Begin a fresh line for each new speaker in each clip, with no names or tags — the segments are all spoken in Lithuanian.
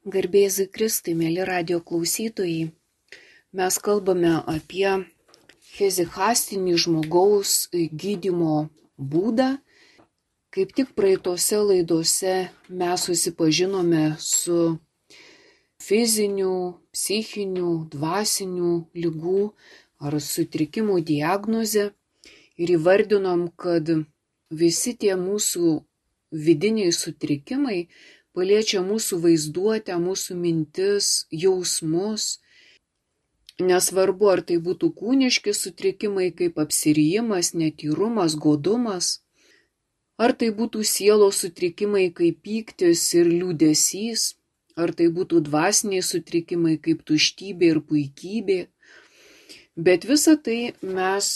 Garbėzui Kristui, mėly radio klausytojai, mes kalbame apie fizikastinį žmogaus gydymo būdą. Kaip tik praeitose laidose mes susipažinome su fizinių, psichinių, dvasinių ligų ar sutrikimų diagnoze ir įvardinom, kad visi tie mūsų vidiniai sutrikimai paliečia mūsų vaizduotę, mūsų mintis, jausmus. Nesvarbu, ar tai būtų kūniški sutrikimai kaip apsirijimas, netyrumas, godumas, ar tai būtų sielos sutrikimai kaip pyktis ir liūdesys, ar tai būtų dvasiniai sutrikimai kaip tuštybė ir puikybė. Bet visą tai mes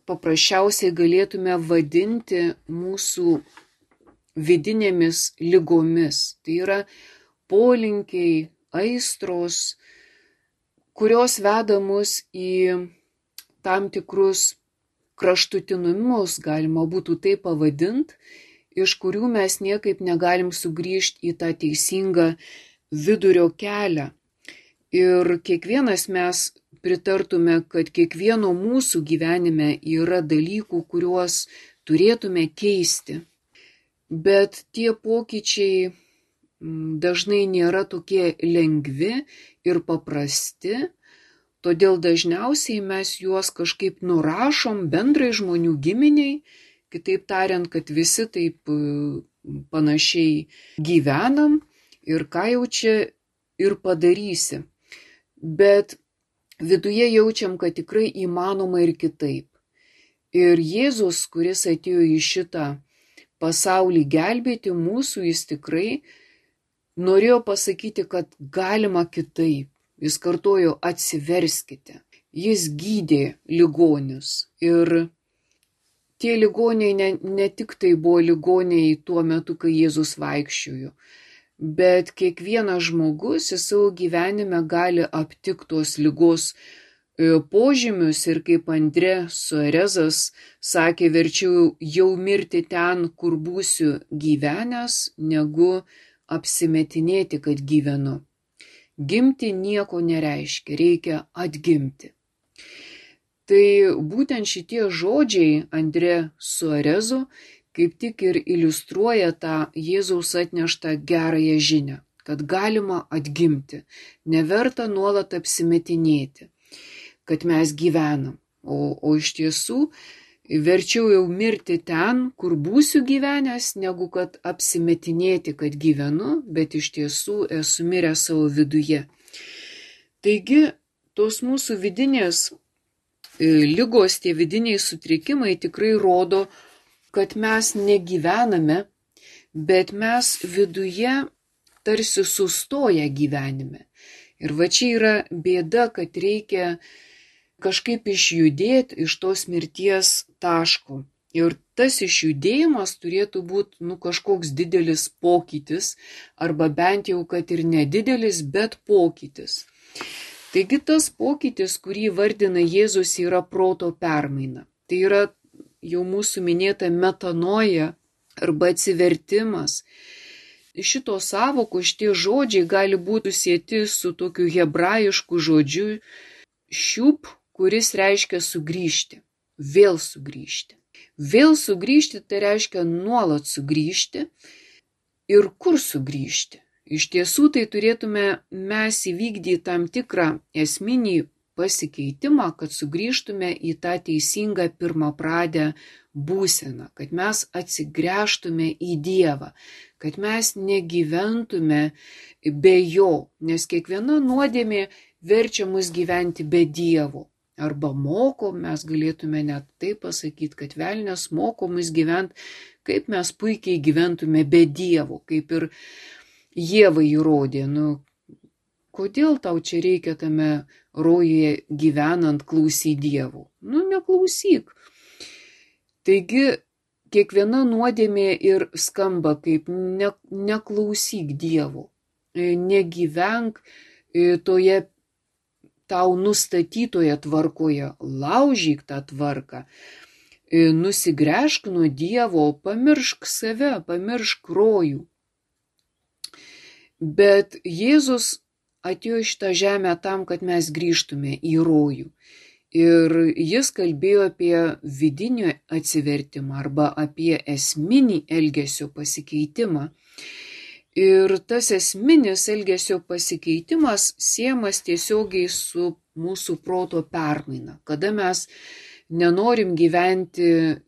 paprasčiausiai galėtume vadinti mūsų vidinėmis ligomis. Tai yra polinkiai, aistros, kurios veda mus į tam tikrus kraštutinumus, galima būtų tai pavadinti, iš kurių mes niekaip negalim sugrįžti į tą teisingą vidurio kelią. Ir kiekvienas mes pritartume, kad kiekvieno mūsų gyvenime yra dalykų, kuriuos turėtume keisti. Bet tie pokyčiai dažnai nėra tokie lengvi ir paprasti, todėl dažniausiai mes juos kažkaip nurašom bendrai žmonių giminiai, kitaip tariant, kad visi taip panašiai gyvenam ir ką jau čia ir padarysi. Bet viduje jaučiam, kad tikrai įmanoma ir kitaip. Ir Jėzus, kuris atėjo į šitą pasaulį gelbėti mūsų, jis tikrai norėjo pasakyti, kad galima kitaip. Jis kartojo, atsiverskite. Jis gydė ligonius. Ir tie ligoniai ne tik tai buvo ligoniai tuo metu, kai Jėzus vaikščiojo, bet kiekvienas žmogus į savo gyvenime gali aptikti tos ligos požymius ir kaip Andrė Suarezas sakė, verčiau jau mirti ten, kur būsiu gyvenęs, negu apsimetinėti, kad gyvenu. Gimti nieko nereiškia, reikia atgimti. Tai būtent šitie žodžiai Andrė Suarezo kaip tik ir iliustruoja tą Jėzaus atneštą gerąją žinią, kad galima atgimti, neverta nuolat apsimetinėti, kad mes gyvenam, o iš tiesų verčiau jau mirti ten, kur būsiu gyvenęs, negu kad apsimetinėti, kad gyvenu, bet iš tiesų esu miręs savo viduje. Taigi, tos mūsų vidinės ligos, tie vidiniai sutrikimai tikrai rodo, kad mes negyvename, bet mes viduje tarsi sustoję gyvenime. Ir va čia yra bėda, kad reikia kažkaip išjudėti iš tos mirties taško. Ir tas išjudėjimas turėtų būti kažkoks didelis pokytis, arba bent jau, kad ir nedidelis, bet pokytis. Taigi tas pokytis, kurį vardina Jėzus, yra proto permaina. Tai yra jau mūsų minėta metanoja arba atsivertimas. Šitos sąvokos, šitie žodžiai gali būti sieti su tokiu hebrajišku žodžiu šiup, kuris reiškia sugrįžti, vėl sugrįžti. Vėl sugrįžti tai reiškia nuolat sugrįžti. Ir kur sugrįžti? Iš tiesų tai turėtume mes įvykdyti tam tikrą esminį pasikeitimą, kad sugrįžtume į tą teisingą pirmapradę būseną, kad mes atsigręžtume į Dievą, kad mes negyventume be Jo, nes kiekviena nuodėmė verčia mus gyventi be Dievo. Arba moko, mes galėtume net taip pasakyti, kad velnias moko mus gyventi, kaip mes puikiai gyventume be Dievo, kaip ir Ieva įrodė. Kodėl tau čia reikia tame rojuje gyvenant klausyti Dievo? Neklausyk. Taigi, kiekviena nuodėmė ir skamba kaip neklausyk Dievo. Negyvenk toje tau nustatytoje tvarkoje, laužyk tą tvarką, nusigręžk nuo Dievo, pamiršk save, pamiršk rojų. Bet Jėzus atėjo į šitą žemę tam, kad mes grįžtume į rojų. Ir jis kalbėjo apie vidinį atsivertimą arba apie esminį elgesio pasikeitimą. Ir tas esminis elgesio pasikeitimas siejamas tiesiogiai su mūsų proto permaina, kada mes nenorim gyventi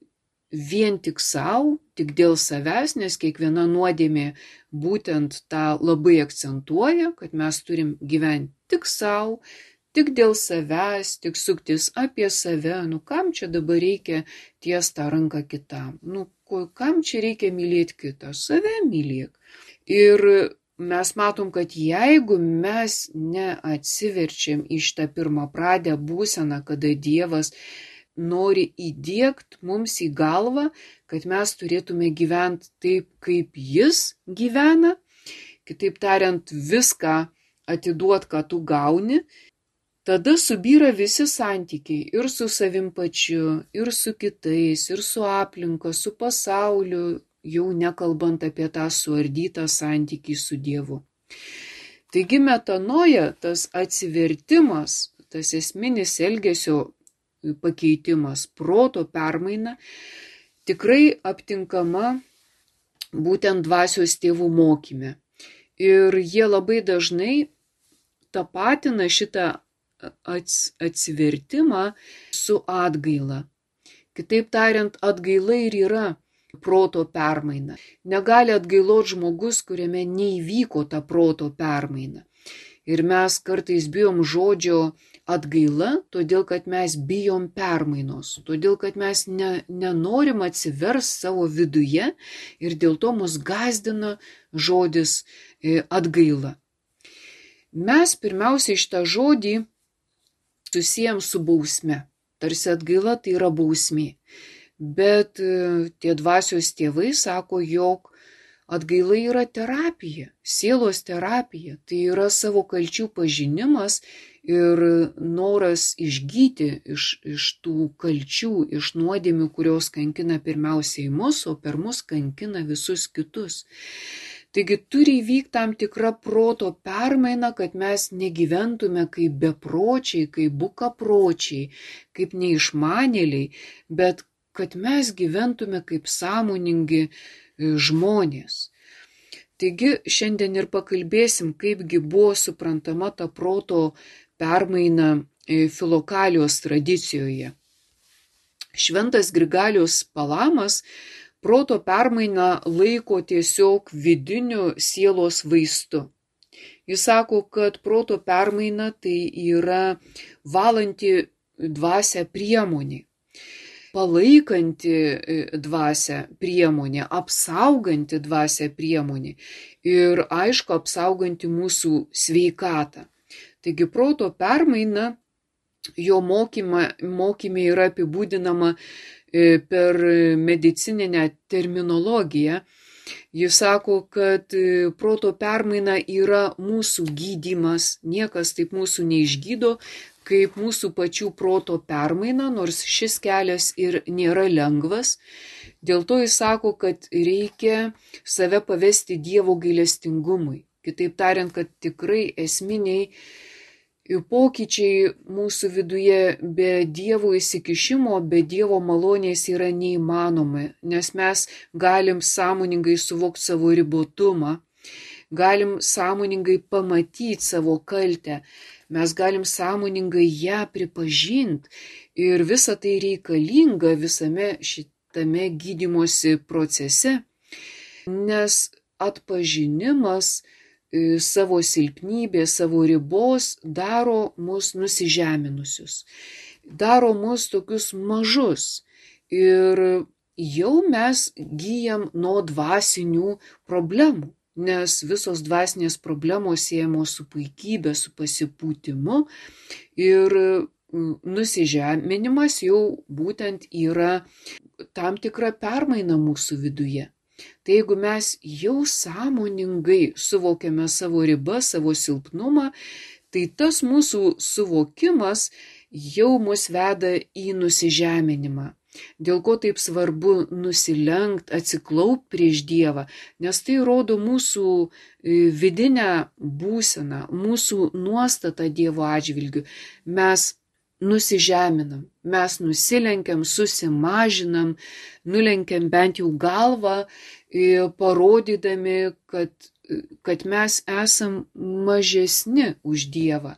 vien tik savo, tik dėl savęs, nes kiekviena nuodėmė būtent tą labai akcentuoja, kad mes turim gyventi tik savo, tik dėl savęs, tik suktis apie save. Kam čia dabar reikia ties tą ranką kitam? Kam čia reikia mylėti kitą? Save mylėk. Ir mes matom, kad jeigu mes neatsiverčiam į šitą pirmapradę būseną, kada Dievas nori įdiegt mums į galvą, kad mes turėtume gyventi taip, kaip Jis gyvena, kitaip tariant, viską atiduot, ką tu gauni, tada subyra visi santykiai ir su savim pačiu, ir su kitais, ir su aplinka, su pasauliu, jau nekalbant apie tą suardytą santykį su Dievu. Taigi metanoja, tas atsivertimas, tas esminis elgesio pakeitimas, proto permaina, tikrai aptinkama būtent dvasios tėvų mokyme. Ir jie labai dažnai tapatina šitą atsivertimą su atgaila. Kitaip tariant, atgaila ir yra proto permaina. Negali atgailoti žmogus, kuriame neįvyko ta proto permaina. Ir mes kartais bijom žodžio atgaila, todėl kad mes bijom permainos, todėl kad mes nenorim atsiversti savo viduje ir dėl to mus gąsdina žodis atgaila. Mes pirmiausiai šitą žodį susijam su bausme. Tarsi atgaila tai yra bausmė. Bet tie dvasios tėvai sako, jog atgaila yra terapija, sielos terapija. Tai yra savo kalčių pažinimas ir noras išgyti iš tų kalčių, iš nuodėmių, kurios kankina pirmiausiai mus, o per mus kankina visus kitus. Taigi turi įvykti tam tikra proto permaina, kad mes negyventume kaip bepročiai, kaip bukapročiai, kaip neišmanėliai, bet kad mes gyventume kaip sąmoningi žmonės. Taigi šiandien ir pakalbėsim, kaipgi buvo suprantama ta proto permaina Filokalijos tradicijoje. Šventas Grigalius Palamas proto permainą laiko tiesiog vidiniu sielos vaistu. Jis sako, kad proto permaina tai yra valanti dvasią priemonė, palaikanti dvasią priemonė, apsauganti dvasią priemonė ir aišku apsauganti mūsų sveikatą. Taigi proto permaina jo mokyme yra apibūdinama per medicininę terminologiją. Jis sako, kad proto permaina yra mūsų gydymas, niekas taip mūsų neišgydo, kaip mūsų pačių proto permaina, nors šis kelias ir nėra lengvas. Dėl to jis sako, kad reikia save pavesti Dievo gailestingumui. Kitaip tariant, kad tikrai esminiai pokyčiai mūsų viduje be Dievo įsikišimo, be Dievo malonės yra neįmanomi, nes mes galim sąmoningai suvokti savo ribotumą, galim sąmoningai pamatyti savo kaltę, mes galim sąmoningai ją pripažinti ir visa tai reikalinga visame šitame gydymosi procese, nes atpažinimas savo silpnybės, savo ribos daro mus nusižeminusius, daro mus tokius mažus ir jau mes gyjam nuo dvasinių problemų, nes visos dvasinės problemos siejamos su puikybė, su pasipūtimu ir nusižeminimas jau būtent yra tam tikra permaina mūsų viduje. Tai jeigu mes jau sąmoningai suvokiame savo ribą, savo silpnumą, tai tas mūsų suvokimas jau mus veda į nusižeminimą. Dėl ko taip svarbu nusilenkt, atsiklaupt prieš Dievą, nes tai rodo mūsų vidinę būseną, mūsų nuostatą Dievo atžvilgiu. Mes nusižeminam, mes nusilenkiam, susimažinam, nulenkiam bent jau galvą, parodydami, kad mes esam mažesni už Dievą.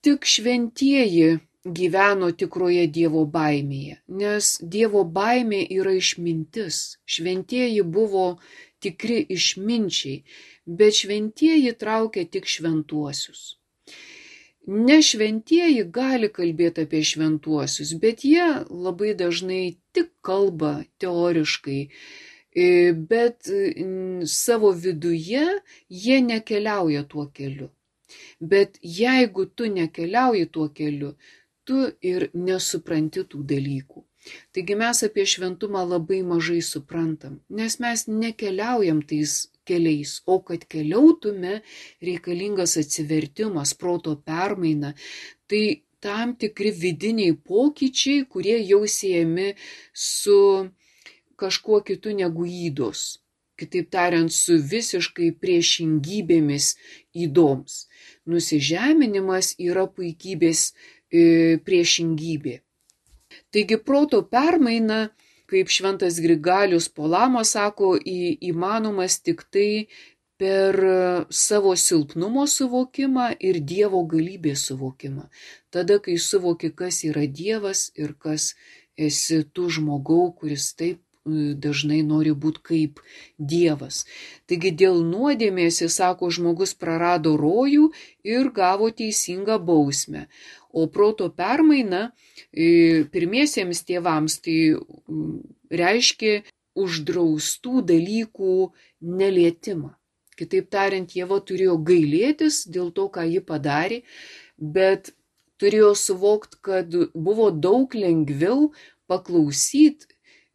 Tik šventieji gyveno tikroje Dievo baimėje, nes Dievo baimė yra išmintis. Šventieji buvo tikri išminčiai, bet šventieji traukia tik šventuosius. Nešventieji gali kalbėti apie šventuosius, bet jie labai dažnai tik kalba teoriškai, bet savo viduje jie nekeliauja tuo keliu. Bet jeigu tu nekeliauji tuo keliu, tu ir nesupranti tų dalykų. Taigi mes apie šventumą labai mažai suprantam, nes mes nekeliaujam tais keliais, o kad keliautume, reikalingas atsivertimas, proto permaina. Tai tam tikri vidiniai pokyčiai, kurie jau siejami su kažkuo kitu negu ydos. Kitaip tariant, su visiškai priešingybėmis ydoms. Nusižeminimas yra puikybės priešingybė. Taigi proto permaina, kaip šventas Grigalius Polama sako, įmanomas tik tai per savo silpnumo suvokimą ir Dievo galybės suvokimą. Tada, kai suvoki, kas yra Dievas ir kas esi tu žmogau, kuris taip dažnai nori būti kaip Dievas. Taigi dėl nuodėmės, jis sako, žmogus prarado rojų ir gavo teisingą bausmę. O proto permaina pirmiesiems tėvams tai reiškia uždraustų dalykų nelietimą. Kitaip tariant, Ieva turėjo gailėtis dėl to, ką ji padarė, bet turėjo suvokti, kad buvo daug lengviau paklausyti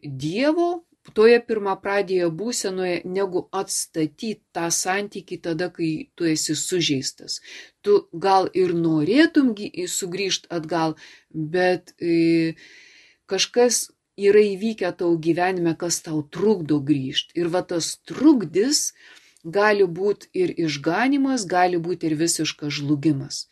Dievo toje pirmapradėje būsenoje, negu atstatyti tą santykį tada, kai tu esi sužeistas. Tu gal ir norėtum sugrįžti atgal, bet kažkas yra įvykę tau gyvenime, kas tau trukdo grįžti. Ir va tas trukdis gali būti ir išganimas, gali būti ir visiškas žlugimas.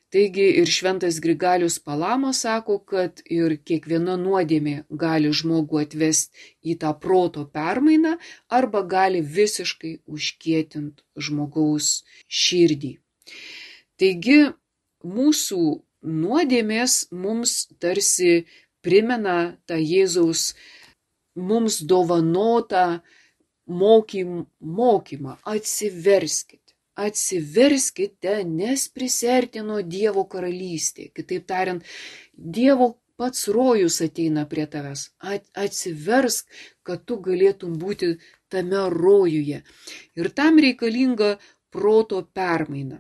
Taigi ir šventas Grigalius Palama sako, kad ir kiekviena nuodėmė gali žmogų atvesti į tą proto permainą arba gali visiškai užkietinti žmogaus širdį. Taigi mūsų nuodėmės mums tarsi primena tą Jėzaus mums dovanotą mokymą. Atsiverskite, nes prisertino Dievo karalystė. Kitaip tariant, Dievo pats rojus ateina prie tavęs. Atsiversk, kad tu galėtum būti tame rojuje. Ir tam reikalinga proto permaina.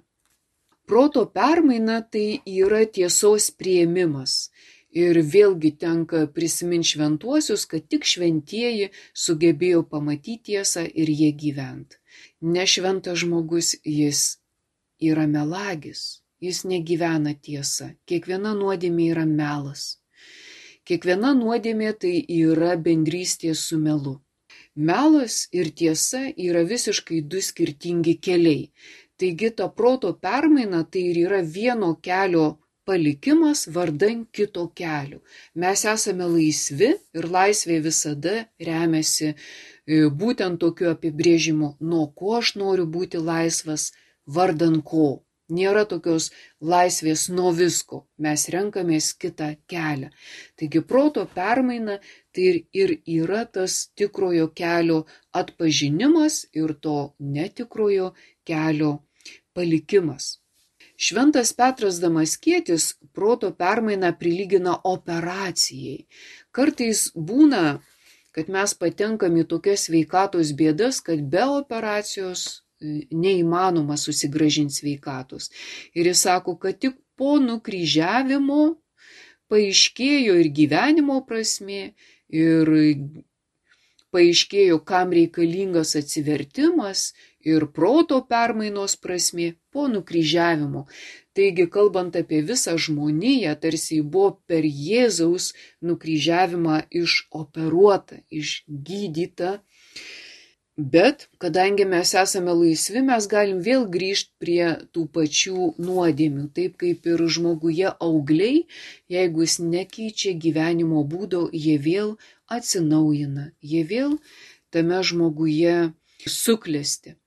Proto permaina tai yra tiesos priėmimas. Ir vėlgi tenka prisiminti šventuosius, kad tik šventieji sugebėjo pamatyti tiesą ir jie gyventi. Nešventas žmogus, jis yra melagis, jis negyvena tiesa. Kiekviena nuodėmė yra melas. Kiekviena nuodėmė tai yra bendrystė su melu. Melas ir tiesa yra visiškai du skirtingi keliai. Taigi ta proto permaina tai ir yra vieno kelio palikimas vardan kito kelio. Mes esame laisvi ir laisvė visada remiasi būtent tokiu apibrėžimu, nuo ko aš noriu būti laisvas, vardan ko. Nėra tokios laisvės nuo visko, mes renkamės kitą kelią. Taigi proto permaina tai ir yra tas tikrojo kelio atpažinimas ir to netikrojo kelio palikimas. Šventas Petras Damaskietis proto permainą prilygina operacijai. Kartais būna, kad mes patenkam į tokias sveikatos bėdas, kad be operacijos neįmanoma susigrąžinti sveikatos. Ir jis sako, kad tik po nukryžiavimo paaiškėjo ir gyvenimo prasmė, ir paaiškėjo, kam reikalingas atsivertimas ir proto permainos prasmė po nukryžiavimo. Taigi, kalbant apie visą žmoniją, tarsi buvo per Jėzaus nukryžiavimą išoperuota, išgydyta. Bet, kadangi mes esame laisvi, mes galim vėl grįžti prie tų pačių nuodėmių. Taip kaip ir žmoguje augliai, jeigu jis nekeičia gyvenimo būdo, jie vėl atsinaujina, jie vėl tame žmoguje suklesti.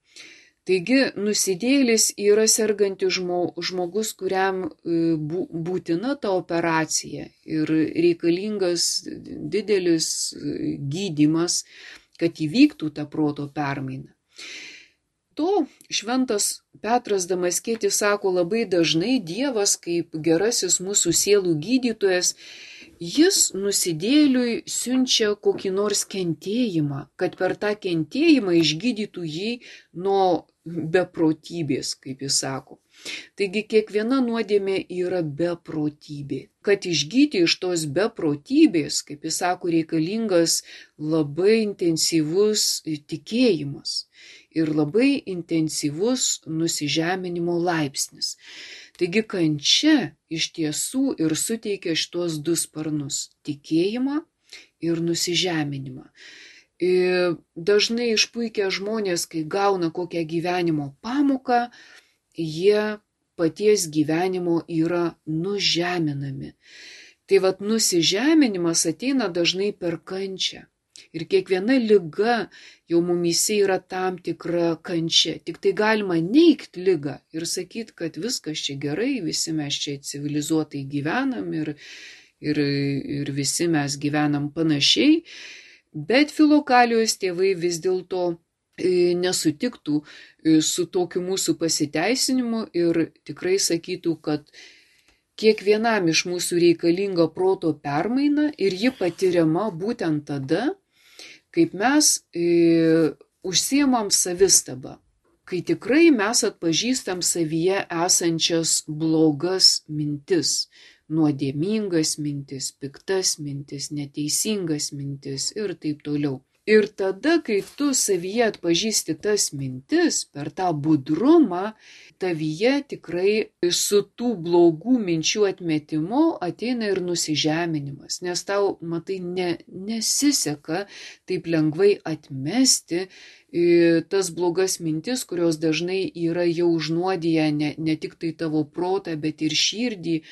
Taigi, nusidėjėlis yra sergantis žmogus, kuriam būtina ta operacija ir reikalingas didelis gydymas, kad įvyktų ta proto permaina. To šventas Petras Damaskietis sako labai dažnai, Dievas kaip gerasis mūsų sielų gydytojas, jis nusidėjėliui siunčia kokį nors kentėjimą, kad per tą kentėjimą išgydytų jį nuo beprotybės, kaip jis sako. Taigi kiekviena nuodėmė yra beprotybė. Kad išgyti iš tos beprotybės, kaip jis sako, reikalingas labai intensyvus tikėjimas ir labai intensyvus nusižeminimo laipsnis. Taigi kančia iš tiesų ir suteikia šitos du sparnus – tikėjimą ir nusižeminimą. Dažnai išpuikę žmonės, kai gauna kokią gyvenimo pamoką, jie paties gyvenimo yra nužeminami. Tai vat nusižeminimas ateina dažnai per kančią. Ir kiekviena liga jau mumyse yra tam tikra kančia. Tik tai galima neigti ligą ir sakyti, kad viskas čia gerai, visi mes čia civilizuotai gyvenam ir visi mes gyvenam panašiai. Bet Filokalijos tėvai vis dėlto nesutiktų su tokiu mūsų pasiteisinimu ir tikrai sakytų, kad kiekvienam iš mūsų reikalinga proto permaina ir ji patiriama būtent tada, kaip mes užsiemam savistabą, kai tikrai mes atpažįstam savyje esančias blogas mintis, nuodėmingas mintis, piktas mintis, neteisingas mintis ir taip toliau. Ir tada, kai tu savyje atpažįsti tas mintis, per tą budrumą, tavyje tikrai su tų blogų minčių atmetimu ateina ir nusižeminimas, nes tau, matai, nesiseka taip lengvai atmesti tas blogas mintis, kurios dažnai yra jau užnuodiję ne tik tai tavo protą, bet ir širdį,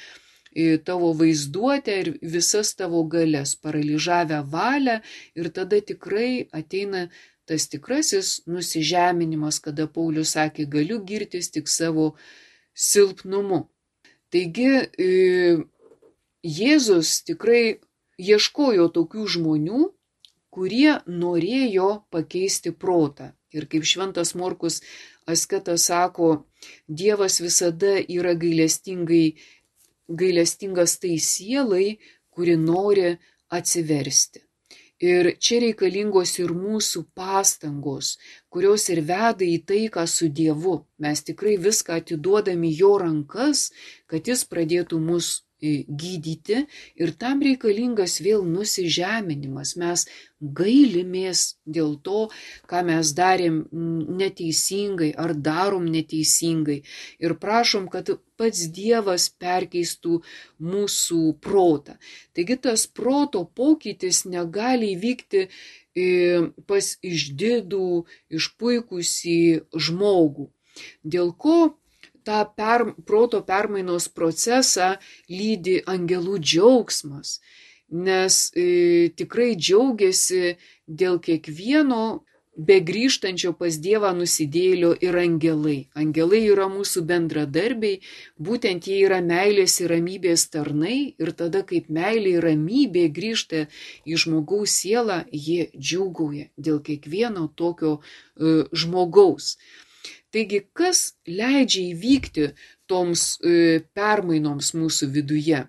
tavo vaizduotę ir visas tavo galias, paralyžavę valią ir tada tikrai ateina tas tikrasis nusižeminimas, kada Paulius sakė, galiu girtis tik savo silpnumu. Taigi Jėzus tikrai ieškojo tokių žmonių, kurie norėjo pakeisti protą. Ir kaip šventas Morkus asketas sako, Dievas visada yra gailestingas tai sielai, kuri nori atsiversti. Ir čia reikalingos ir mūsų pastangos, kurios ir veda į taiką su Dievu. Mes tikrai viską atiduodami jo rankas, kad jis pradėtų mus gydyti ir tam reikalingas vėl nusižeminimas. Mes gailimės dėl to, ką mes darėm neteisingai ar darom neteisingai ir prašom, kad pats Dievas perkeistų mūsų protą. Taigi tas proto pokytis negali įvykti pas išdidų, išpuikusį žmogų. Dėl ko tą proto permainos procesą lydi angelų džiaugsmas, nes tikrai džiaugiasi dėl kiekvieno begrįžtančio pas Dievą nusidėjėlio ir angelai. Angelai yra mūsų bendradarbiai, būtent jie yra meilės ir ramybės tarnai ir tada, kaip meilė ir ramybė grįžta į žmogaus sielą, jie džiūgauja dėl kiekvieno tokio žmogaus. Taigi, kas leidžia įvykti toms permainoms mūsų viduje?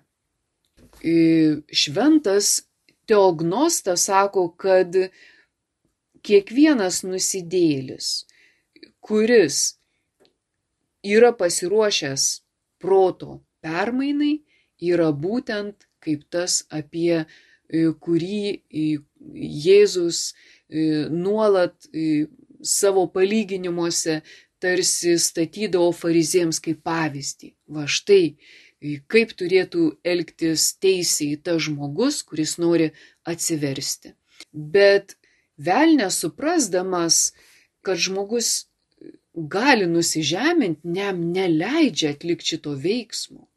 Šventas Teognostas sako, kad kiekvienas nusidėjėlis, kuris yra pasiruošęs proto permainai, yra būtent kaip tas, apie kurį Jėzus nuolat savo palyginimuose tarsi statydavo farizėjams kaip pavyzdį. Va štai, kaip turėtų elgtis teisiai tas žmogus, kuris nori atsiversti. Bet velnias suprasdamas, kad žmogus gali nusižeminti, jam neleidžia atlikti šito veiksmo.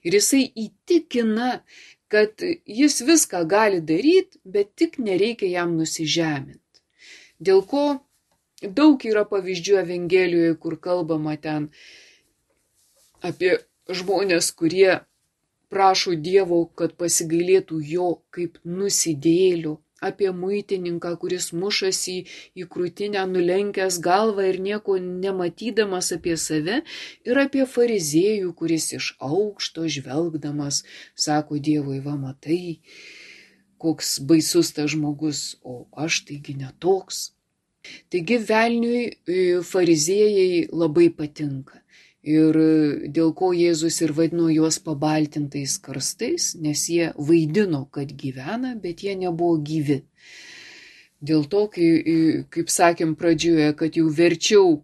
Ir jisai įtikina, kad jis viską gali daryti, bet tik nereikia jam nusižeminti. Dėl ko daug yra pavyzdžių Evangelijoje, kur kalbama ten apie žmonės, kurie prašo Dievo, kad pasigailėtų jo kaip nusidėjėlių, apie muitininką, kuris mušasi į krūtinę, nulenkęs galvą ir nieko nematydamas apie save, ir apie fariziejų, kuris iš aukšto žvelgdamas sako Dievui, va matai, koks baisus tas žmogus, o aš taigi netoks. Taigi velniui fariziejai labai patinka. Ir dėl ko Jėzus ir vadino juos pabaltintais karstais, nes jie vaidino, kad gyvena, bet jie nebuvo gyvi. Dėl to, kaip sakėm pradžioje, kad jau verčiau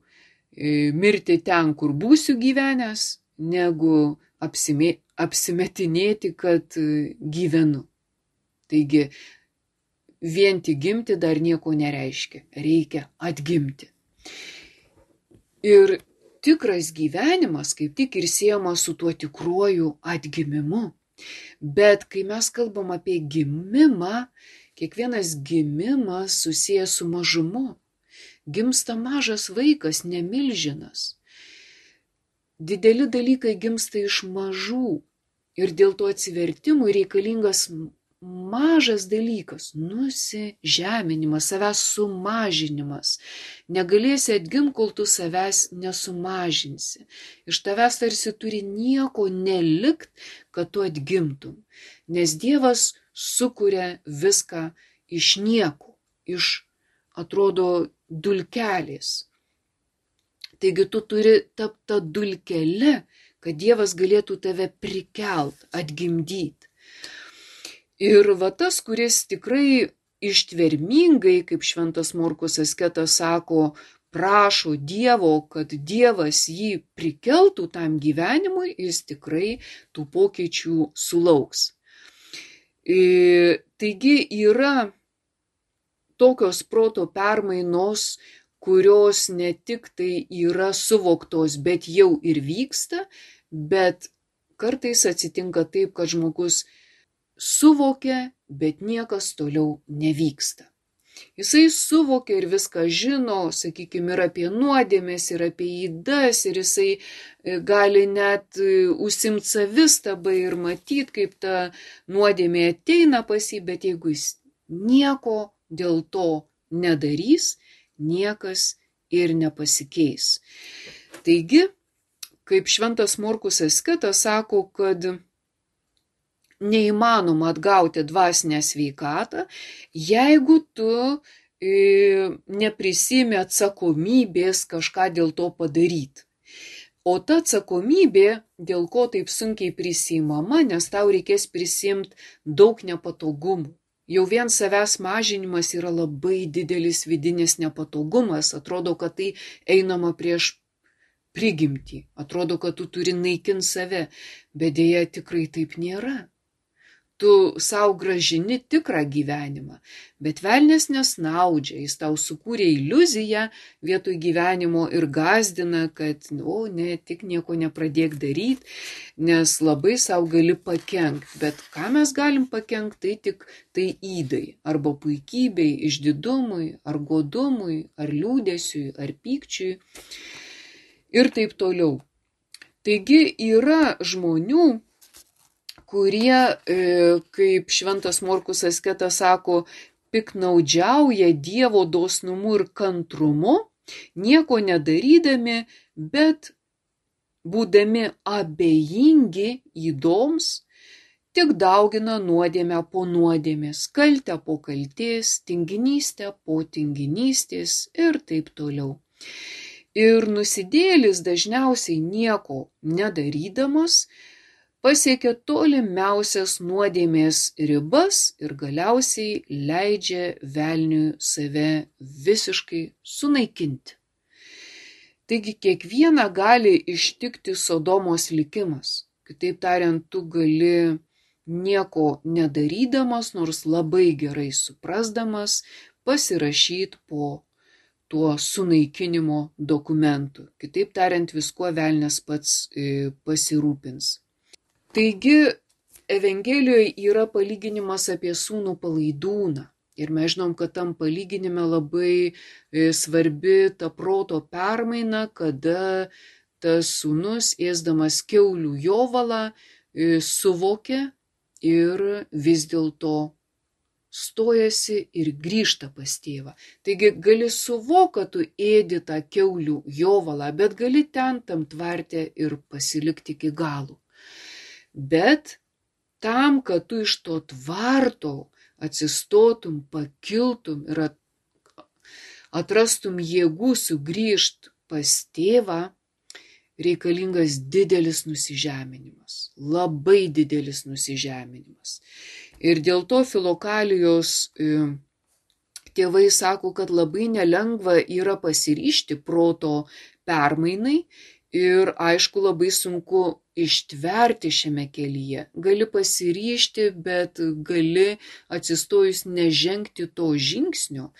mirti ten, kur būsiu gyvenęs, negu apsimetinėti, kad gyvenu. Taigi, vien tik gimti dar nieko nereiškia, reikia atgimti. Ir tikras gyvenimas kaip tik ir siejamas su tuo tikruoju atgimimu. Bet kai mes kalbam apie gimimą, kiekvienas gimimas susijęs su mažumu. Gimsta mažas vaikas, ne milžinas. Dideli dalykai gimsta iš mažų ir dėl to atsivertimui reikalingas mažas dalykas – nusižeminimas, savęs sumažinimas. Negalėsi atgimti, kol tu savęs nesumažinsi. Iš tavęs tarsi turi nieko nelikt, kad tu atgimtum. Nes Dievas sukuria viską iš nieko, iš, atrodo, dulkelės. Taigi tu turi tapti tą dulkelę, kad Dievas galėtų tave prikelt, atgimdyti. Ir va tas, kuris tikrai ištvermingai, kaip šventas Morkus asketas sako, prašo Dievo, kad Dievas jį prikeltų tam gyvenimui, jis tikrai tų pokyčių sulauks. Taigi yra tokios proto permainos, kurios ne tik tai yra suvoktos, bet jau ir vyksta, bet kartais atsitinka taip, kad žmogus suvokia, bet niekas toliau nevyksta. Jisai suvokia ir viską žino, sakykime, ir apie nuodėmes, ir apie ydas, ir jisai gali net užsimti savistabą ir matyti, kaip ta nuodėmė ateina pas jį, bet jeigu jis nieko dėl to nedarys, niekas ir nepasikeis. Taigi, kaip šventas Morkus asketas sako, kad neįmanoma atgauti dvasinę sveikatą, jeigu tu neprisimi atsakomybės kažką dėl to padaryti. O ta atsakomybė, dėl ko taip sunkiai prisimama, nes tau reikės prisimti daug nepatogumų. Jau vien savęs mažinimas yra labai didelis vidinis nepatogumas, atrodo, kad tai einama prieš prigimtį, atrodo, kad tu turi naikinti save, bet dėja tikrai taip nėra. Tu savo gražini tikrą gyvenimą, bet velnias nesnaudžia, jis tau sukūrė iliuziją vietoj gyvenimo ir gąsdina, kad, tik nieko nepradėk daryti, nes labai savo gali pakenkti. Bet ką mes galim pakenkti, tai ydai, arba puikybei, išdidumui, ar godumui, ar liūdesiui, ar pykčiui ir taip toliau. Taigi yra žmonių, kurie, kaip šventas Morkus asketas sako, piknaudžiauja Dievo dosnumu ir kantrumu, nieko nedarydami, bet būdami abejingi ydoms, tik daugina nuodėmę po nuodėmės, kaltę po kaltės, tinginystę po tinginystės ir taip toliau. Ir nusidėjėlis dažniausiai nieko nedarydamas, pasiekia tolimiausias nuodėmės ribas ir galiausiai leidžia velniui save visiškai sunaikinti. Taigi kiekvieną gali ištikti Sodomos likimas. Kitaip tariant, tu gali nieko nedarydamas, nors labai gerai suprasdamas, pasirašyti po tuo sunaikinimo dokumentu. Kitaip tariant, viskuo velnias pats pasirūpins. Taigi, Evangelijoje yra palyginimas apie sūnų palaidūną. Ir mes žinom, kad tam palyginime labai svarbi ta proto permaina, kada tas sūnus, ėsdamas kiaulių jovalą, suvokia ir vis dėlto stojasi ir grįžta pas tėvą. Taigi gali suvokti, kad tu ėdi tą kiaulių jovalą, bet gali ten tam tvarte ir pasilikti iki galo. Bet tam, kad tu iš to tvarto atsistotum, pakiltum ir atrastum jėgų sugrįžti pas tėvą, reikalingas didelis nusižeminimas, labai didelis nusižeminimas. Ir dėl to Filokalijos tėvai sako, kad labai nelengva yra pasiryžti proto permainai ir aišku labai sunku ištverti šiame kelyje. Gali pasiryžti, bet gali atsistojus nežengti to žingsnio.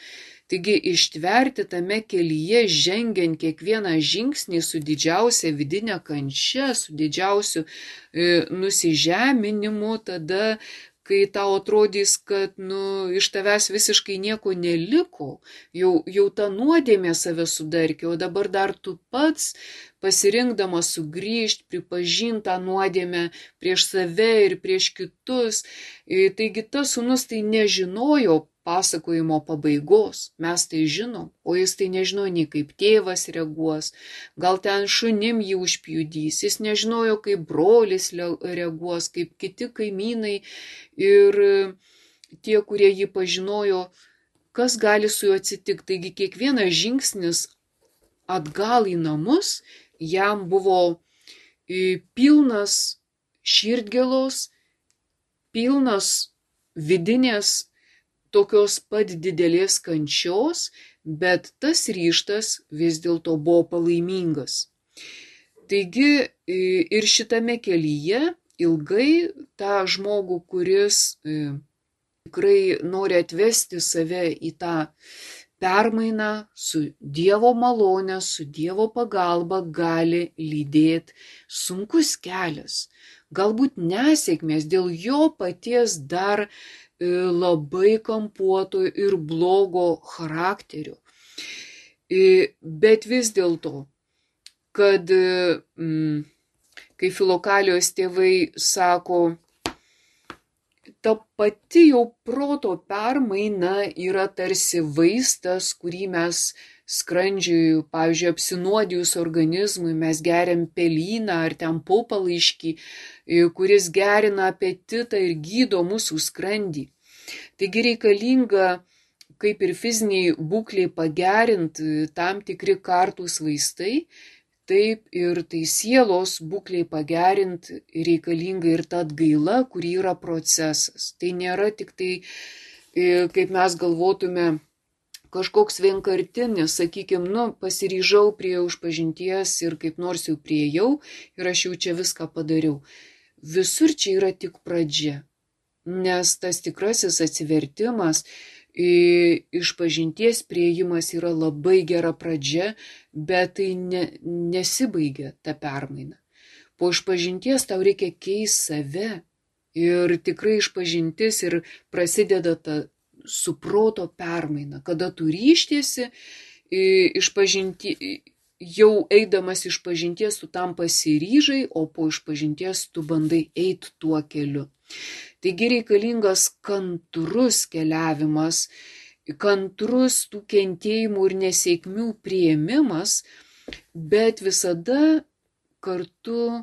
Taigi ištverti tame kelyje, žengiant kiekvieną žingsnį su didžiausia vidinė kančia, su didžiausiu nusižeminimu, tada, kai tau atrodys, kad iš tavęs visiškai nieko neliko, jau ta nuodėmė save sudarkė, o dabar dar tu pats pasirinkdamas sugrįžti, pripažinti tą nuodėmę prieš save ir prieš kitus. Taigi tas sūnus tai nežinojo pasakojimo pabaigos, mes tai žinom, o jis tai nežino nei kaip tėvas reaguos, gal ten šunim jį užpjudys, jis nežinojo kaip brolis reaguos, kaip kiti kaimynai ir tie, kurie jį pažinojo, kas gali su juo atsitikti. Taigi kiekvienas žingsnis atgal į namus jam buvo pilnas širdgėlos, pilnas vidinės tokios pat didelės kančios, bet tas ryžtas vis dėlto buvo palaimingas. Taigi ir šitame kelyje ilgai tą žmogų, kuris tikrai nori atvesti save į tą permainą su Dievo malone, su Dievo pagalba, gali lydėti sunkus kelias. Galbūt nesėkmės dėl jo paties dar labai kampuoto ir blogo charakterio. Bet vis dėlto, kad kai Filokalijos tėvai sako, ta pati jau proto permaina yra tarsi vaistas, kurį mes skrandžiui, pavyzdžiui, apsinuodijus organizmui, mes geriam pelyną ar ten popalaiškį, kuris gerina apetitą ir gydo mūsų skrandį. Taigi reikalinga, kaip ir fiziniai būkliai pagerinti, tam tikri kartūs vaistai, taip ir tai sielos būkliai pagerinti reikalinga ir ta atgaila, kuri yra procesas. Tai nėra tik tai, kaip mes galvotume, kažkoks vienkartinis, sakykime, pasiryžau prie išpažinties ir kaip nors jau priejau ir aš jau čia viską padariau. Visur čia yra tik pradžia, nes tas tikrasis atsivertimas, išpažinties priėjimas yra labai gera pradžia, bet tai nesibaigia ta permaina. Po išpažinties tau reikia keisti save ir tikrai išpažintis ir prasideda ta su proto permaina, kada tu ryštiesi jau eidamas išpažinties tu tam pasiryžai, o po išpažinties tu bandai eiti tuo keliu. Taigi reikalingas kantrus keliavimas, kantrus tų kentėjimų ir nesėkmių priėmimas, bet visada kartu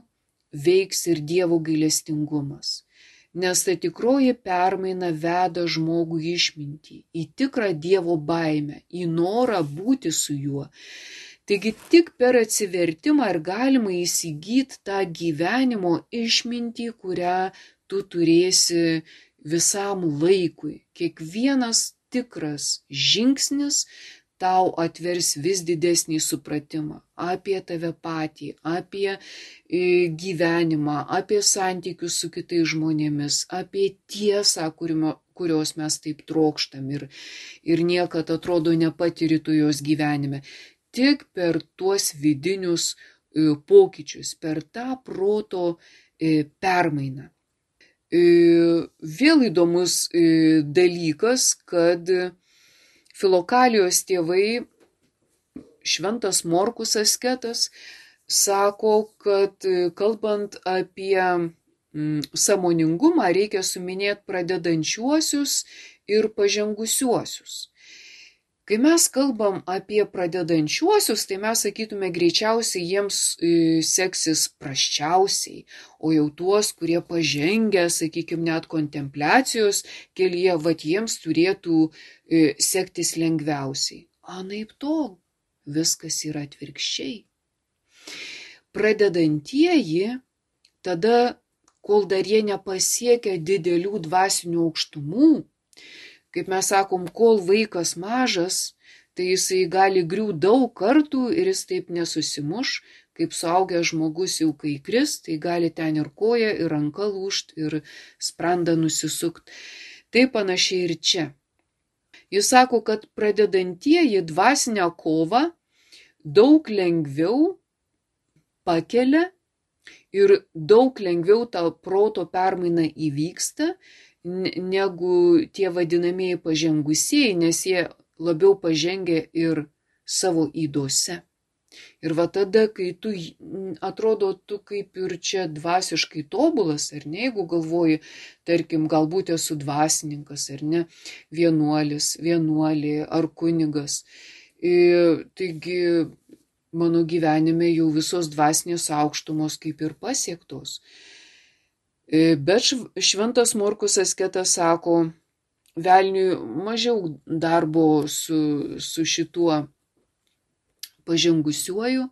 veiks ir Dievo gailestingumas. Nes ta tikroji permaina veda žmogų į išmintį, į tikrą Dievo baimę, į norą būti su juo. Taigi tik per atsivertimą ir galima įsigyti tą gyvenimo išmintį, kurią tu turėsi visam laikui. Kiekvienas tikras žingsnis tau atvers vis didesnį supratimą apie tave patį, apie gyvenimą, apie santykius su kitais žmonėmis, apie tiesą, kurios mes taip trokštam ir niekad atrodo nepatiri tu jos gyvenime. Tik per tuos vidinius pokyčius, per tą proto permainą. Vėl įdomus dalykas, kad Filokalijos tėvai, Šventas Morkus asketas, sako, kad kalbant apie sąmoningumą reikia suminėti pradedančiuosius ir pažengusiuosius. Kai mes kalbam apie pradedančiuosius, tai mes sakytume greičiausiai jiems seksis prasčiausiai, o jau tuos, kurie pažengę, sakykime, net kontempliacijos kelyje, vat jiems turėtų sektis lengviausiai. Anaiptol, viskas yra atvirkščiai. Pradedantieji, tada, kol dar jie nepasiekia didelių dvasinių aukštumų, kaip mes sakom, kol vaikas mažas, tai jisai gali griūt daug kartų ir jis taip nesusimuš, kaip suaugęs žmogus jau kai kris, tai gali ten ir koja, ir ranka lūžt, ir sprandą nusisukt. Tai panašiai ir čia. Jis sako, kad pradedantieji dvasinę kovą daug lengviau pakelia ir daug lengviau ta proto permaina įvyksta, negu tie vadinamieji pažengusieji, nes jie labiau pažengia ir savo ydose. Ir va tada, kai tu atrodo, tu kaip ir čia dvasiškai tobulas, ar ne, jeigu galvoji, tarkim, galbūt esu dvasininkas, ar ne, vienuolis, vienuolė ar kunigas. Taigi, mano gyvenime jau visos dvasinės aukštumos kaip ir pasiektos. Bet Šventas Morkus asketas sako, velniui mažiau darbo su šituo pažengusiuoju,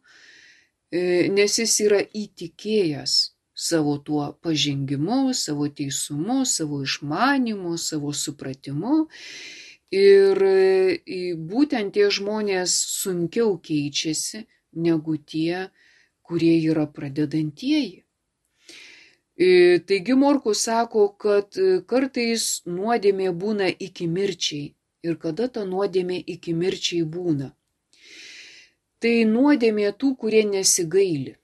nes jis yra įtikėjęs savo tuo pažengimu, savo teisumu, savo išmanimu, savo supratimu. Ir būtent tie žmonės sunkiau keičiasi negu tie, kurie yra pradedantieji. Taigi Morkus sako, kad kartais nuodėmė būna iki mirčiai. Ir kada ta nuodėmė iki mirčiai būna? Tai nuodėmė tų, kurie nesigaili.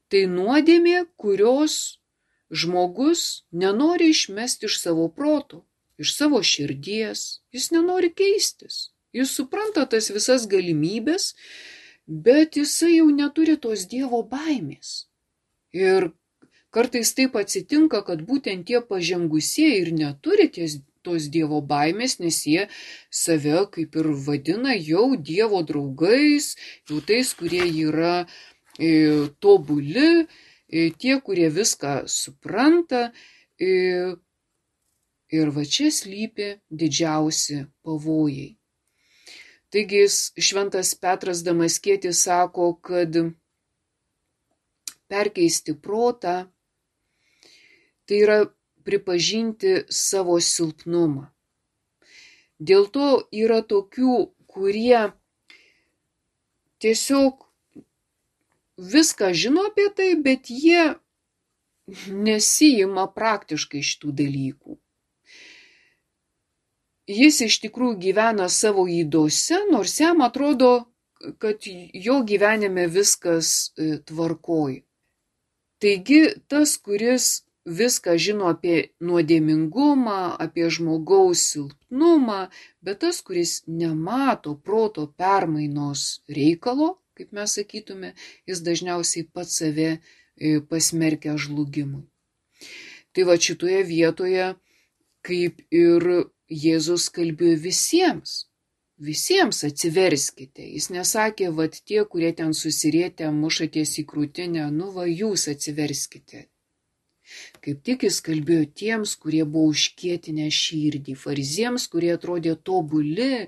Tai nuodėmė, kurios žmogus nenori išmesti iš savo proto, iš savo širdies. Jis nenori keistis. Jis supranta tas visas galimybės, bet jisai jau neturi tos Dievo baimės. Ir kartais taip atsitinka, kad būtent tie pažengusieji ir neturi tos Dievo baimės, nes jie save kaip ir vadina jau Dievo draugais, jau tais, kurie yra tobuli, tie, kurie viską supranta. Ir va čia slypi didžiausi pavojai. Taigi Šventas Petras Damaskietis sako, kad perkeisti protą, tai yra pripažinti savo silpnumą. Dėl to yra tokių, kurie tiesiog viską žino apie tai, bet jie nesijima praktiškai šitų dalykų. Jis iš tikrųjų gyvena savo ydose, nors jam atrodo, kad jo gyvenime viskas tvarkoj. Taigi tas, kuris viską žino apie nuodėmingumą, apie žmogaus silpnumą, bet tas, kuris nemato proto permainos reikalo, kaip mes sakytume, jis dažniausiai pats save pasmerkia žlugimui. Tai va šitoje vietoje, kaip ir Jėzus kalbėjo visiems atsiverskite. Jis nesakė, vat tie, kurie ten susirietę, mušaties į krūtinę, nu va jūs atsiverskite. Kaip tik jis kalbėjo tiems, kurie buvo užkietinę širdį, fariziems, kurie atrodė tobuli,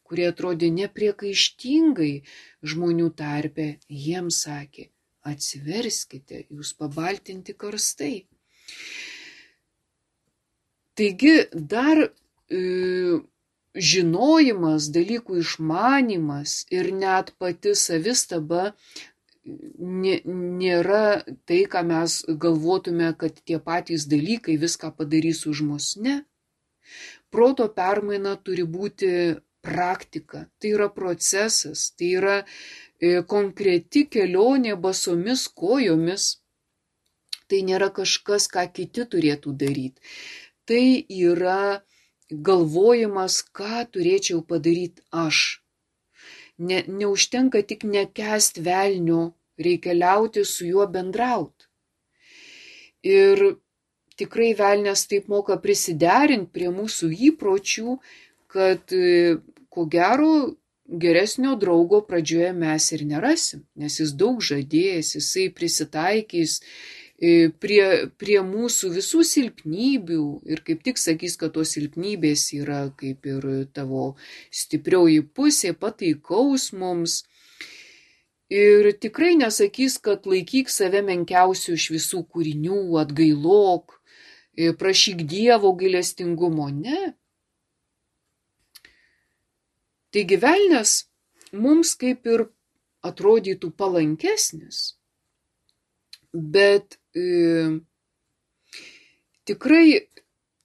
kurie atrodė nepriekaištingai žmonių tarpe, jiems sakė: atsiverskite, jūs pabaltinti karstai. Taigi dar žinojimas, dalykų išmanimas ir net pati savistaba nėra tai, ką mes galvotume, kad tie patys dalykai viską padarys už mus. Ne. Proto permaina turi būti praktika, tai yra procesas, tai yra konkreti kelionė basomis kojomis. Tai nėra kažkas, ką kiti turėtų daryti. Tai yra galvojimas, ką turėčiau padaryti aš. Neužtenka tik nekęst velnio, reikia liauti su juo bendrauti. Ir tikrai velnias taip moka prisiderinti prie mūsų įpročių, kad ko gero geresnio draugo pradžioje mes ir nerasim, nes jis daug žadėjęs, jisai prisitaikys prie mūsų visų silpnybių ir kaip tik sakys, kad tos silpnybės yra kaip ir tavo stiprioji pusė, pataikaus mums. Ir tikrai nesakys, kad laikyk save menkiausiu iš visų kūrinių, atgailok, prašyk Dievo gailestingumo. Ne. Taigi velnias mums kaip ir atrodytų palankesnis, bet tikrai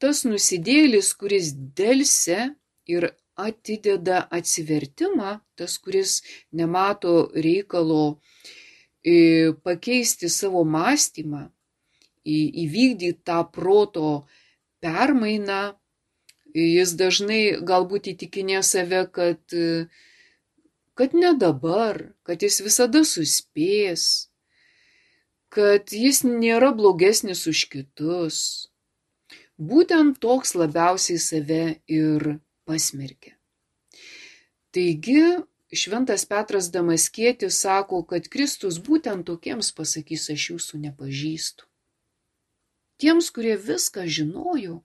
tas nusidėjėlis, kuris delsia ir atideda atsivertimą, tas, kuris nemato reikalo pakeisti savo mąstymą, įvykdyti tą proto permainą, jis dažnai galbūt įtikinė save, kad ne dabar, kad jis visada suspės, kad jis nėra blogesnis už kitus. Būtent toks labiausiai save ir pasmerkia. Taigi, šventas Petras Damaskietis sako, kad Kristus būtent tokiems pasakys: aš jūsų nepažįstu. Tiems, kurie viską žinojo,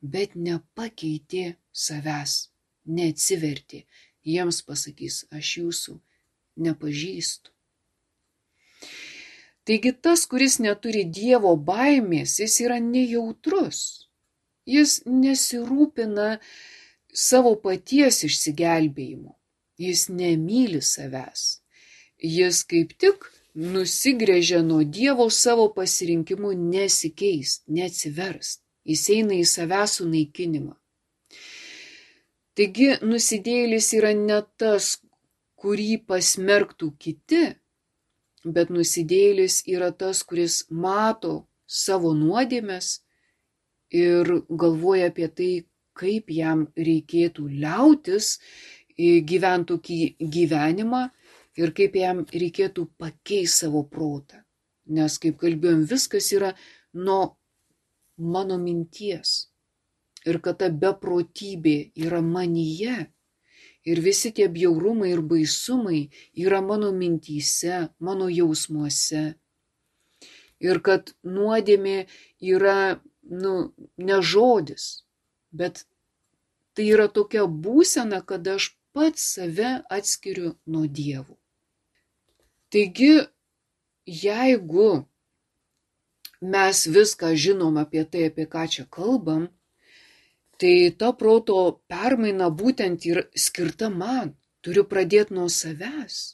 bet nepakeitė savęs, neatsivertė, jiems pasakys: aš jūsų nepažįstu. Taigi tas, kuris neturi Dievo baimės, jis yra nejautrus. Jis nesirūpina savo paties išsigelbėjimu. Jis nemyli savęs. Jis kaip tik nusigręžia nuo Dievo savo pasirinkimu nesikeist, neatsiverst. Jis eina į savęs sunaikinimą. Taigi nusidėjėlis yra ne tas, kurį pasmerktų kiti, bet nusidėjėlis yra tas, kuris mato savo nuodėmes ir galvoja apie tai, kaip jam reikėtų liautis gyventi tokį gyvenimą ir kaip jam reikėtų pakeisti savo protą. Nes, kaip kalbėjom, viskas yra nuo mano minties. Ir kad ta beprotybė yra manyje. Ir visi tie bjaurumai ir baisumai yra mano mintyse, mano jausmuose. Ir kad nuodėmė yra, ne žodis, bet tai yra tokia būsena, kad aš pats save atskiriu nuo Dievo. Taigi, jeigu mes viską žinom apie tai, apie ką čia kalbam, tai ta proto permaina būtent yra skirta man. Turiu pradėti nuo savęs.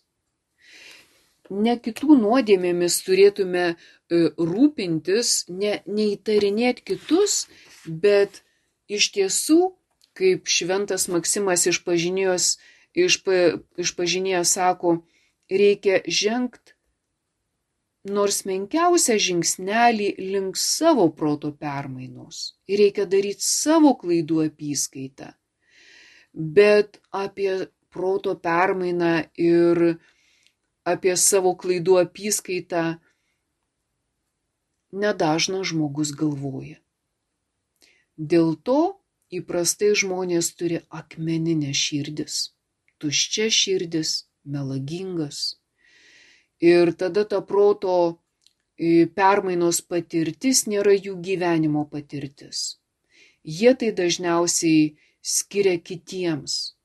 Ne kitų nuodėmėmis turėtume rūpintis, neįtarinėti kitus, bet iš tiesų, kaip šventas Maksimas išpažinėjęs sako, reikia žengti nors menkiausią žingsnelį link savo proto permainos. Ir reikia daryti savo klaidų apyskaitą. Bet apie proto permainą ir apie savo klaidų apyskaitą nedažnas žmogus galvoja. Dėl to įprastai žmonės turi akmeninę širdis, tuščia širdis, melagingas. Ir tada ta proto permainos patirtis nėra jų gyvenimo patirtis. Jie tai dažniausiai skiria kitiems.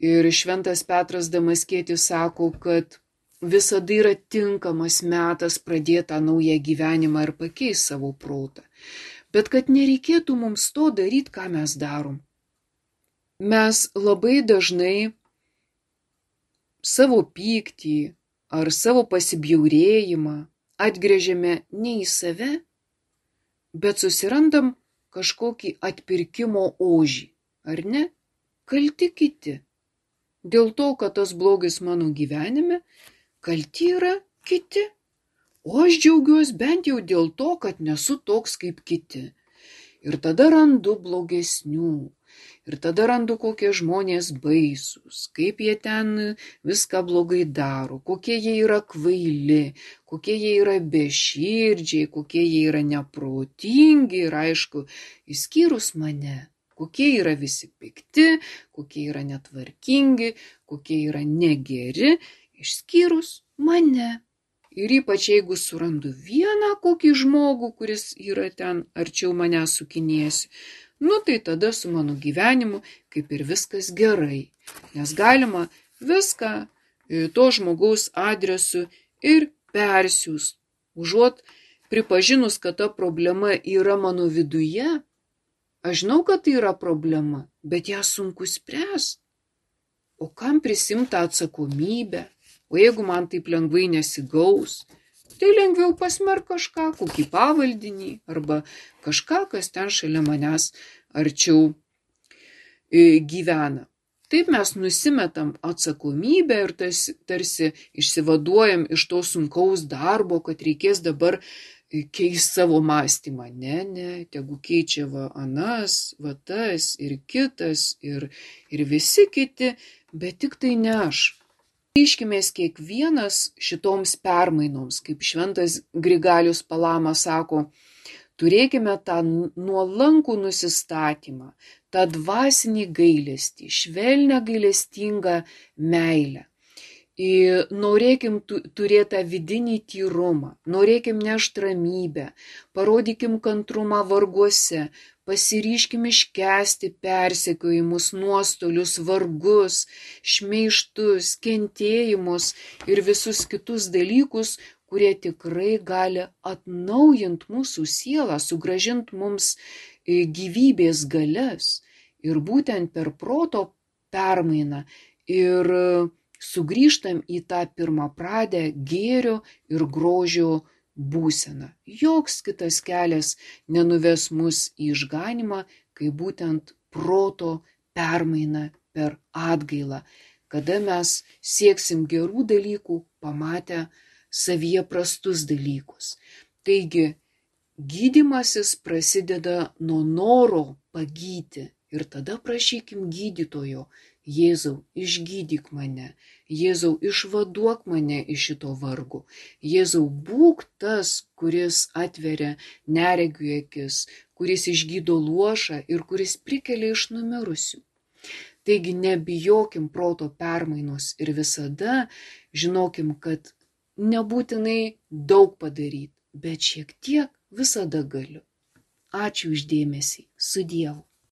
Ir šventas Petras Damaskietis sako, kad visada yra tinkamas metas pradėti tą naują gyvenimą ir pakeisti savo protą. Bet kad nereikėtų mums to daryti, ką mes darom. Mes labai dažnai savo pyktį ar savo pasibjaurėjimą atgręžiame ne į save, bet susirandam kažkokį atpirkimo ožį, ar ne? Kalti kiti. Dėl to, kad tas blogis mano gyvenime, kalti yra kiti. O aš džiaugiuosi bent jau dėl to, kad nesu toks kaip kiti. Ir tada randu blogesnių. Ir tada randu, kokie žmonės baisūs, kaip jie ten viską blogai daro, kokie jie yra kvaili, kokie jie yra beširdžiai, kokie jie yra neprotingi ir aišku, išskyrus mane. Kokie yra visi pikti, kokie yra netvarkingi, kokie yra negeri, išskyrus mane. Ir ypač jeigu surandu vieną kokį žmogų, kuris yra ten arčiau mane sukinėsi, tai tada su mano gyvenimu kaip ir viskas gerai. Nes galima viską to žmogaus adresu ir persiųst. Užuot pripažinus, kad ta problema yra mano viduje, aš žinau, kad tai yra problema, bet ją sunku spręsti. O kam prisimta atsakomybę? O jeigu man taip lengvai nesigaus, tai lengviau pasmerk kažką, kokį pavaldinį, arba kažką, kas ten šalia manęs arčiau gyvena. Taip mes nusimetam atsakomybę ir tarsi išsivaduojam iš to sunkaus darbo, kad reikės dabar keisti savo mąstymą. Ne, tegu keičia anas, tas ir kitas ir visi kiti, bet tik tai ne aš. Ryškimės kiekvienas šitoms permainoms, kaip šventas Grigalius Palama sako, turėkime tą nuolankų nusistatymą, tą dvasinį gailestį, švelnią gailestingą meilę. Ir norėkim turėti tą vidinį tyrumą, norėkim nešti ramybę, parodykim kantrumą varguose, pasiryškim iškęsti persekiojimus, nuostolius, vargus, šmeižtus, kentėjimus ir visus kitus dalykus, kurie tikrai gali atnaujinti mūsų sielą, sugrąžinti mums gyvybės galias. Ir būtent per proto permainą ir sugrįžtam į tą pirmapradę gėrio ir grožio būseną. Joks kitas kelias nenuves mus į išganymą, kai būtent proto permaina per atgailą, kada mes sieksim gerų dalykų, pamatę savyje prastus dalykus. Taigi, gydymasis prasideda nuo noro pagyti ir tada prašykim gydytojo: Jėzau, išgydyk mane, Jėzau, išvaduok mane iš šito vargo, Jėzau, būk tas, kuris atveria neregių akis, kuris išgydo luošą ir kuris prikelia iš numirusių. Taigi nebijokim proto permainos ir visada žinokim, kad nebūtinai daug padaryti, bet šiek tiek visada galiu. Ačiū už dėmesį. Su Dievu.